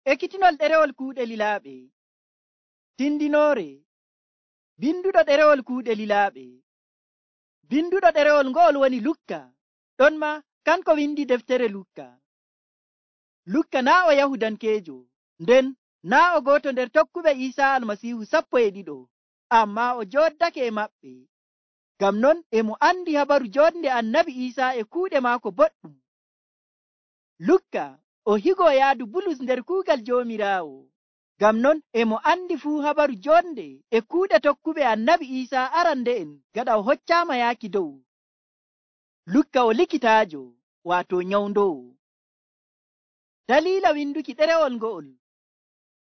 Ekkitinol ɗerewol kuuɗe lilaaɓe. Tindinoore. Binduɗo ɗerewol kuuɗe lilaaɓe. Binduɗo ɗerewol ngo'ol woni Lukka. Ɗon ma kanko windi deftere Lukka. Lukka naa o Yahudankeejo, nden naa o gooto nder tokkuɓe Iisaa Almasiihu 12, ammaa o jooddake e maɓɓe. Ngam non e mo andi habaru jonde Annabi Iisaa e kuuɗe maako boɗɗum. Lukka o higo yaadu Bulus nder kuugal Joomiraawo. Ngam non e mo andi fuu habaru jonde e kuuɗe tokkuɓe Annabi Iisaa arande'en gaɗa o hoccaama yaaki dow. Lukka o likitaajo, waato nyawndowo. Daliila winduki ɗerewol ngo'ol.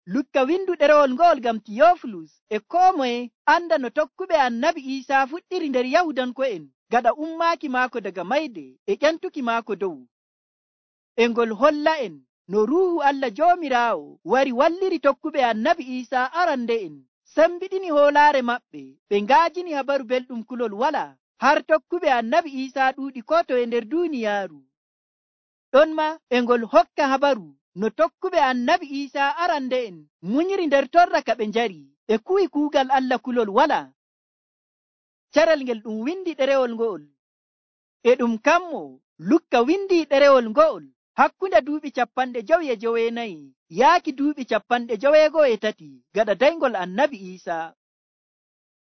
Lukka windu ɗerewol ngo'ol ngam Tiyofilus e koo moye anda no tokkuɓe Annabi Iisaa fuɗɗiri nder Yahudanko'en gaɗa ummaaki maako daga mayde e ƴantuki maako dow. E ngol holla'en no Ruuhu Allah Joomiraawo wari walliri tokkuɓe Annabi Iisaa arande'en, sembiɗini hoolaare maɓɓe, ɓe ngaajini habaru belɗum kulol walaa, har tokkuɓe Annabi Iisaa ɗuuɗi koo toye nder duuniyaaru. Ɗon ma e ngol hokka habaru no tokkuɓe Annabi Iisaa arande'en munyiri nder torra ka ɓe njari, ɓe kuwi kuugal Allah kulol walaa. Carel ngel ɗum windi ɗerewol ngo'ol. E ɗum kammo Lukka windi ɗerewol ngo'ol hakkunde duuɓi 59 yaaki duuɓi 53 gaɗa daygol Annabi Iisaa.